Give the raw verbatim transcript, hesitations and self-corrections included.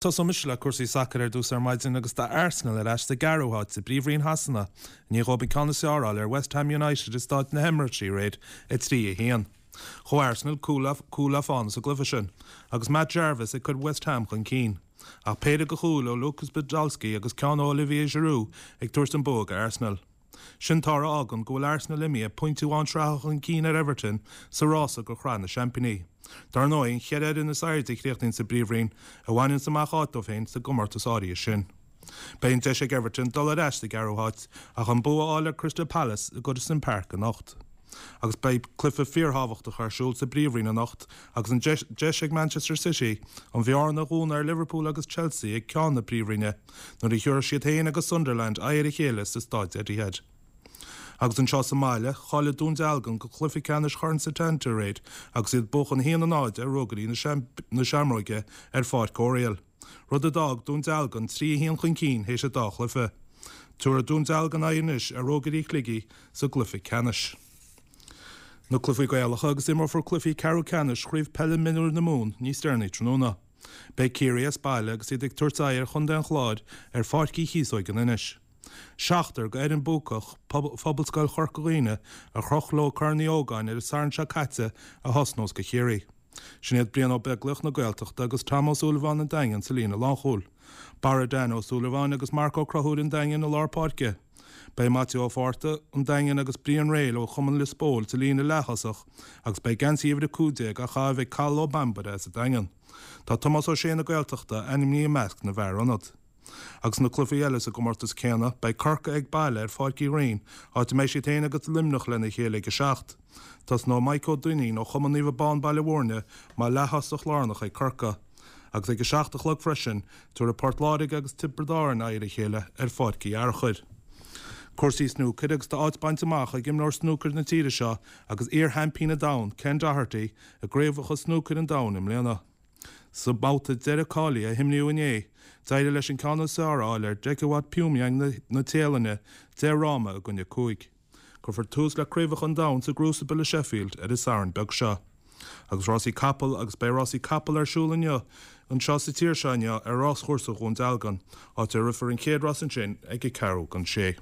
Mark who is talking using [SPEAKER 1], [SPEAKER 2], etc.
[SPEAKER 1] Tosóidh mise le cúrsaí sacair ar dtús ar maidin agus tá Arsenal ar ais sa gceathrú háit sa bPríomhroinn Shasana i ndiaidh dóibh an ceann is fearr a fháil ar West Ham United i Staid na hEmirates aréir, a trí a haon. Ghabh Arsenal cúl le fána sa gcluiche sin agus Matt Jarvis ag cur West Ham chun cinn. Ach péire de chúil ó Lukas Podolski agus ceann ó Olivier Giroud ag tabhairt an bua do Arsenal. Sin toradh a fhágann go bhfuil Arsenal imithe pointe amháin sraithe chun cinn ar Everton sa rása do Shraith na Seaimpíní. Dar ndóigh, an cheithre fhoireann is airde a chríochnaíonn sa bPríomhroinn a bhaineanns amach áit dóibh féin sa gcomórtas áirithe sin. Beidh an deis ag Everton dul ar ais sa gceathrú háit ach an bua a fháil ar Crystal Palace i Goodison Park anocht. Agus beidh cluiche fíorthábhachtach ar siúl sa bPríomhroinn anocht agus an deis ag Manchester City an bhearna a dhúnadh ar Liverpool agus Chelsea ag ceann na Príomhroinne nuair a thabharfaidh siad féin agus Sunderland aghaidh ar a chéile sa Staid Etihad. Agus anseo sa mbaile, cháiligh Dún Dealgan go cluiche ceannais Chorn Setanta aréir agus iad ag buachan a haon a náid ar Ruagairí na Seamróige ar Pháirc Oriel, rud a d'fhág Dún Dealgan trí a haon chun cinn théis an dá chluiche. Tabharfaidh Dún Dealgan aghaidh anois ar Ruagairí Shligigh sa gcluiche ceannais. Na cluichí Gaelacha agus imreofar cluichí ceathrú ceannais Chraobh Peile Mionúir na Mumhan níos deireanaí tráthnóna. Beidh Ciarraí as baile agus iad ag tabhairt aghaidh ar Chontae an Chláir ar Pháirc Uí Chíosóig in Inis. Seachtar d'fhoireann buacach Phobalscoil Chorca Dhuibhne a chroch leo Corn Uí Ógáin ar an Satharn seo caite a thosnós do Chiarraí. Sin iad Brian Ó Beaglaoich na Gaeltachta agus Tom Ó Súilleabháin an Daingin sa líne lánchúil. Barra Dan Ó Súilleabháin agus Marc Ó Conchúir an Daingin i lár páirce. Beidh Maitiú Ó Fátharta, an Daingean agus Brian Reil ó Chumann Lios Póil sa líne leath-thosach agus beidh geansaí uimhir a cúig déag á chaitheamh ag Cathal Ó Bambaire as an Daingean. Tá Tomás Ó Sé na Gaeltachta ainmnithe i measc na bhfear ionad. Agus na cluichí eile sa gcomórtas céanna, beidh Corcaigh ag baile ar Pháirc Uí Rinn, áit a mbeidh siad féin agus Luimneach lena chéile ag a seacht. Tosnóidh Mike Ó Duinnín ó Chumann Naomh Abán Baile Mhúirne mar leath-thosach lárnach ag Corcaigh. Agus ag a seacht a chlog freisin, tabharfaidh Port Láirge agus Tiobraid Árann aghaidh ar a chéile ar Pháirc Uí Fhearchair. Cúrsaí snúcair agus tá áit bainte amach ag imreoir snúcair na tíre seo agus iar-sheaimpín an domhain, Ken Doherty, i gCraobhacha Snúcair an Domhain i mbliana. Sa mbabhta deiridh cáilithe a himríodh inné, d'éirigh leis an ceann is fearr a fháil ar Dechawat Poomjaeng na Téalainne, deich fhráma i gcoinne cúig. Cuirfear tús le Craobhacha an Domhain sa gCrucible i Sheffield ar an Satharn beag seo. Agus rásaí capall agus beidh rásaí capall ar siúl inniu anseo sa tír seo inniu ar ráschúrsa Dhún Dealgan, áit a rithfear an chéad rás ansin ag a ceathrú don sé.